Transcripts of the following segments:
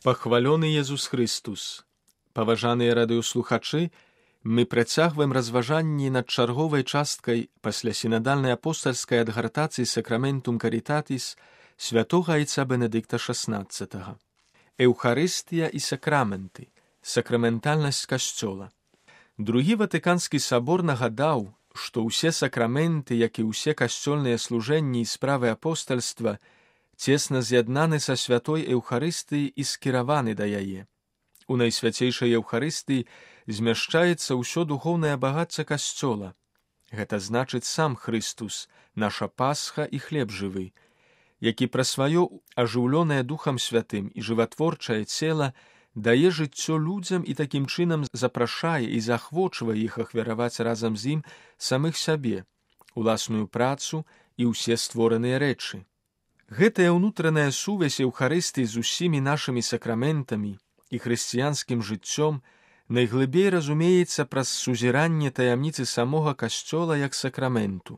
Пахвалёны Езус Христус! Паважаныя радыёслухачы, мы працягваем разважанні над чарговай часткай пасля сінадальнай апостальскай адгартацыі Сакраментум Карітатіс святога айца Бенедыкта XVI. Еўхарыстыя і сакраменты. Сакраментальнасць Касцёла. Другі Ватыканскі сабор нагадаў, што ўсе сакраменты, як і ўсе касцёльныя служэнні і справы апостальства, цесна з'яднаны са святой Еўхарыстыі і скіраваны да яе. У найсвяцейшай Еўхарыстыі змяшчаецца ўсё духоўнае багацце Касцёла. Гэта значыць сам Христус, наша Пасха і хлеб жывы, які пра сваё ажыўлёнае Духам Святым і жыватворчае цела дае жыццё людзям і такім чынам запрашае і заахвочвае іх ахвяраваць разам з ім самых сябе, уласную працу і ўсе створаныя рэчы. Гэтая ўнутраная сувязь Еўхарыстыі з усімі нашымі сакраментамі і хрысціянскім жыццём найглыбей разумеецца праз сузіранне таямніцы самога Касцёла як сакраменту.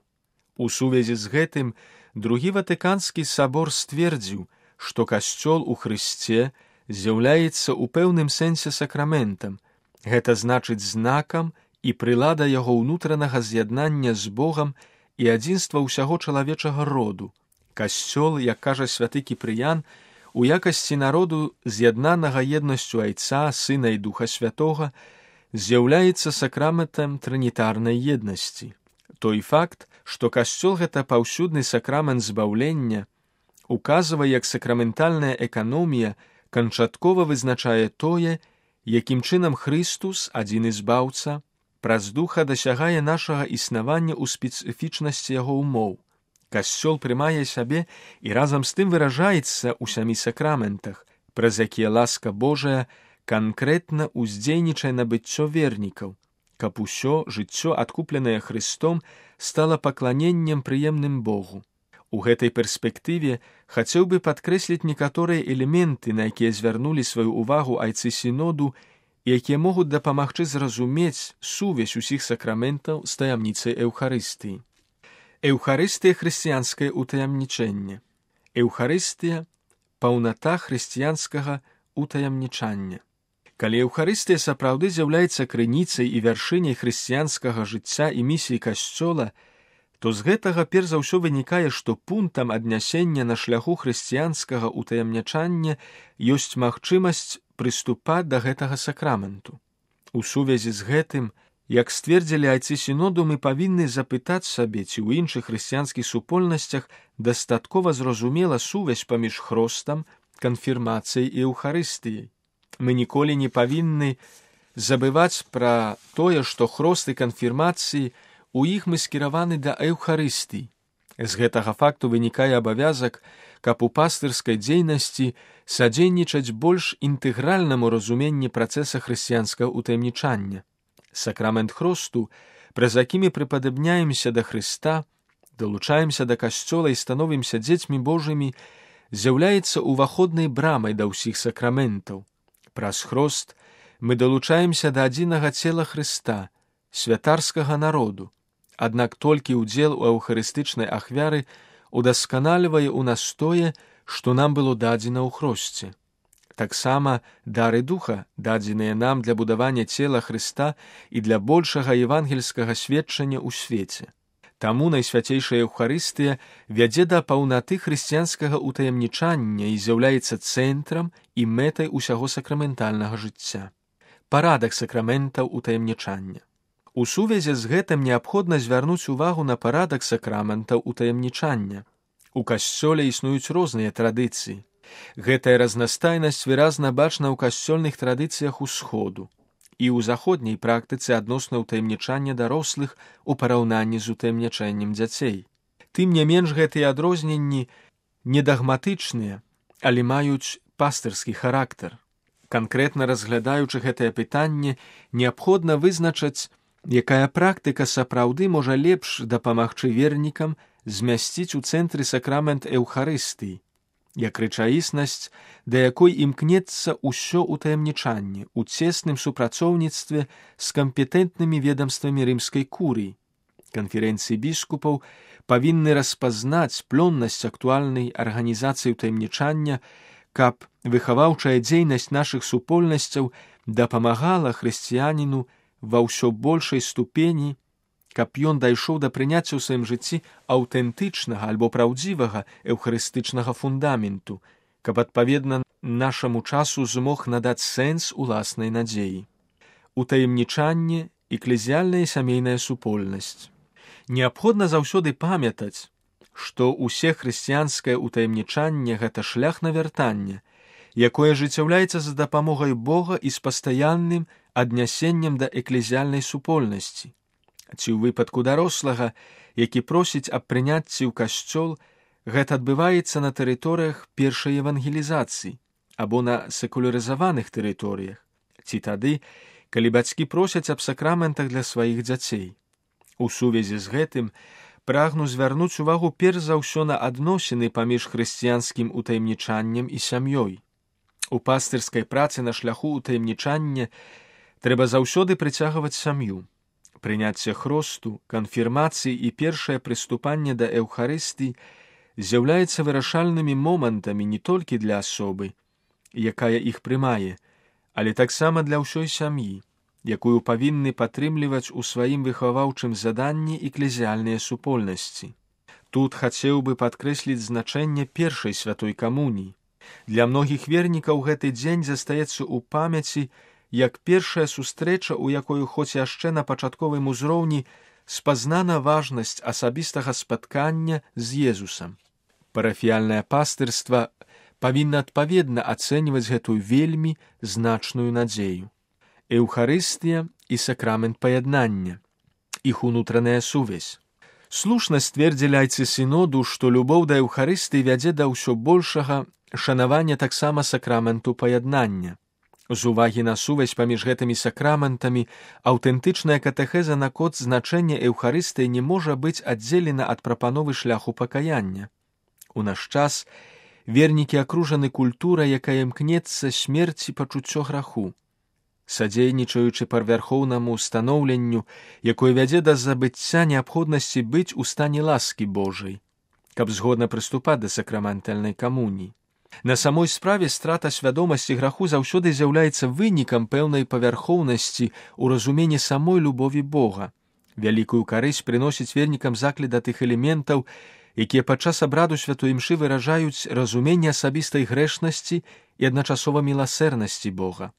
У сувязі з гэтым другі Ватыканскі сабор сцвердзіў, што Касцёл у Хрысце з'яўляецца ў пэўным сэнсе сакраментам, гэта значыць знакам і прылада яго ўнутранага з'яднання з Богам і адзінства ўсяго чалавечага роду. Касцёл, як кажа святы Кіпрыян, у якасці народу, з'яднанага еднасцю Айца, Сына і Духа Святога, з'яўляецца сакраментам трынітарнай еднасці. Той факт, што Касцёл — гэта паўсюдны сакрамент збаўлення, указвае, як сакраментальная эканомія канчаткова вызначае тое, якім чынам Христус, адзіны збаўца, праз Духа дасягае нашага існавання ў спецыфічнасці яго ўмоў. Касцёл прымае сябе і разам з тым выражаецца ў сямі сакраментах, праз якія ласка Божая канкрэтна ўздзейнічае на быццё вернікаў, каб усё жыццё, адкупленае Христом, стала пакланеннем прыемным Богу. У гэтай перспектыве хацеў бы падкрэсліць некаторыя элементы, на якія звярнулі сваю ўвагу айцы сіноду, і якія могуць дапамагчы зразумець сувязь усіх сакраментаў з таямніцай Еўхарыстыі. Еўхарыстыя — хрысціянскае ўтаямнічэнне. Еўхарыстыя — паўната хрысціянскага ўтаямнічання. Калі Еўхарыстыя сапраўды з'яўляецца крыніцай і вяршыняй хрысціянскага жыцця і місіі Касцёла, то з гэтага перш за ўсё вынікае, што пунктам аднясення на шляху хрысціянскага ўтаямнічання ёсць магчымасць прыступаць да гэтага сакраменту. У сувязі з гэтым, як сцвердзілі айцы сіноду, мы павінны запытаць сабе, ці ў іншых хрысціянскіх супольнасцях дастаткова зразумела сувязь паміж хростам, канфірмацыяй і Еўхарыстыяй. Мы ніколі не павінны забываць пра тое, што хрост і канфірмацыі у іх мы скіраваны да Еўхарыстыі. З гэтага факту вынікае абавязак, каб у пастырскай дзейнасці садзейнічаць больш інтэгральнаму разуменні працэса хрысціянскага ўтаямнічання. Сакрамент хросту, праз які мы прыпадабняемся да Хрыста, далучаемся да Касцёла і становімся дзецьмі Божымі, з'яўляецца уваходнай брамай да ўсіх сакраментаў. Праз хрост мы далучаемся да адзінага цела Хрыста, святарскага народу, аднак толькі ўдзел у еўхарыстычнай ахвяры удасканальвае ў нас тое, што нам было дадзена ў хросце. Таксама дары Духа, дадзеныя нам для будавання цела Хрыста і для большага евангельскага сведчання ў свеце. Таму найсвяцейшая Еўхарыстыя вядзе да паўнаты хрысціянскага ўтаямнічання і з'яўляецца цэнтрам і мэтай усяго сакраментальнага жыцця. Парадак сакраментаў ўтаямнічання. У сувязі з гэтым неабходна звярнуць увагу на парадак сакраментаў ўтаямнічання. У Касцёле існуюць розныя традыцыі. Гэтая разнастайнасць выразна бачна ў касцёльных традыцыях усходу і ў заходняй практыцы адносна ўтаямнічання дарослых у параўнанні з утаямнічаннем дзяцей. Тым не менш, гэтыя адрозненні не дагматычныя, але маюць пастырскі характар. Канкрэтна разглядаючы гэтае пытанне, неабходна вызначыць, якая практыка сапраўды можа лепш дапамагчы вернікам змясціць у цэнтры сакрамент Еўхарыстыі, як рэчаіснасць, да якой імкнецца ўсё ўтаямнічанне ў цесным супрацоўніцтве з кампетэнтнымі ведамствамі рымскай курыі. Канферэнцыі біскупаў павінны распазнаць плённасць актуальнай арганізацыі ўтаямнічання, каб выхаваўчая дзейнасць нашых супольнасцяў дапамагала хрысціяніну ва ўсё большай ступені, каб ён дайшоў да прыняцця ў сваім жыцці аўтэнтычнага альбо праўдзівага эўхарыстычнага фундаменту, каб адпаведна нашаму часу змог надаць сэнс уласнай надзеі. Утаемнічанне, эклезіяльная і сямейная супольнасць. Неабходна заўсёды памятаць, што ўсе хрысціянскае ўтаемнічанне – гэта шлях навяртання, якое ажыццяўляецца за дапамогай Бога і з пастаянным аднясеннем да эклезіяльнай супольнасці. Ці ў выпадку дарослага, які просіць аб прыняцці ў касцёл, гэта адбываецца на тэрыторыях першай евангелізацыі або на секулярызаваных тэрыторыях, ці тады, калі бацькі просяць аб сакраментах для сваіх дзяцей. У сувязі з гэтым прагну звярнуць увагу перш за ўсё на адносіны паміж хрысціянскім утаемнічаннем і сям'ёй. У пастырскай працы на шляху утаемнічання трэба заўсёды прыцягваць сям'ю. Прыняцце хросту, канфірмацыі і першае прыступанне да эўхарыстыі з'яўляецца вырашальнымі момантамі не толькі для асобы, якая іх прымае, але таксама для ўсёй сям'і, якую павінны падтрымліваць у сваім выхаваўчым заданні эклезіяльныя супольнасці. Тут хацеў бы падкрэсліць значэнне першай святой камуніі. Для многіх вернікаў гэты дзень застаецца ў памяці як першая сустрэча, у якой хоць яшчэ на пачатковым узроўні спазнана важнасць асабістага спаткання з Езусам. Парафіяльнае пастырства павінна адпаведна ацэньваць гэтую вельмі значную надзею. Эўхарыстыя і сакрамент паяднання, іх унутраная сувязь. Слушна сцвердзілі айцы сіноду, што любоў да эўхарыстыі вядзе да ўсё большага шанавання таксама сакраменту паяднання. З увагі на сувязь паміж гэтымі сакраментамі аўтэнтычная катэхеза наконт значэння эўхарыстыі не можа быць аддзелена ад прапановы шляху пакаяння. У наш час вернікі акружаны культурай, якая імкнецца смерці пачуццё граху, садзейнічаючы парвярхоўнаму станоўленню, якое вядзе да забыцця неабходнасці быць у стане ласкі Божай, каб згодна прыступаць да сакраментальнай камуніі. На самой справе страта свядомасці граху заўсёды з'яўляецца вынікам пэўнай павярхоўнасці ў разуменні самой любові Бога. Вялікую карысць прыносіць вернікам заклік да тых элементаў, якія падчас абраду святой імшы выражаюць разуменне асабістай грэшнасці і адначасова міласэрнасці Бога.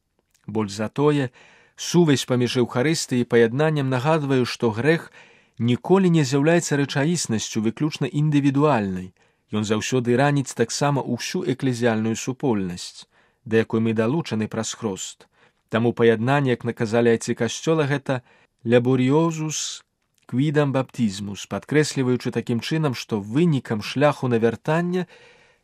Больш за тое, сувязь паміж эўхарыстыяй і паяднаннем нагадвае, што грэх ніколі не з'яўляецца рэчаіснасцю выключна індывідуальнай. Ён заўсёды раніць таксама ўсю эклезіяльную супольнасць, да якой мы далучаны праз хрост. Таму паяднанне, як наказалі айцы касцёла, гэта ляборіозус квідам баптізмус, падкрэсліваючы такім чынам, што вынікам шляху навяртання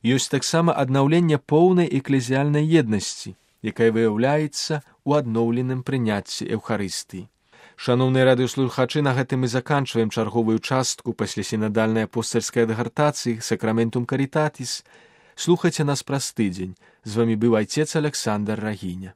ёсць таксама аднаўленне поўнай эклезіяльнай еднасці, якая выяўляецца ў адноўленым прыняцці эўхарыстыі. Шаноўныя радыёслухачы, на гэтым мы заканчваем чарговую частку паслясінадальнай апостальскай адгартацыі «Сакраментум карітатіс». Слухайце нас праз тыдзень. З вамі быў айцец Александр Рагіня.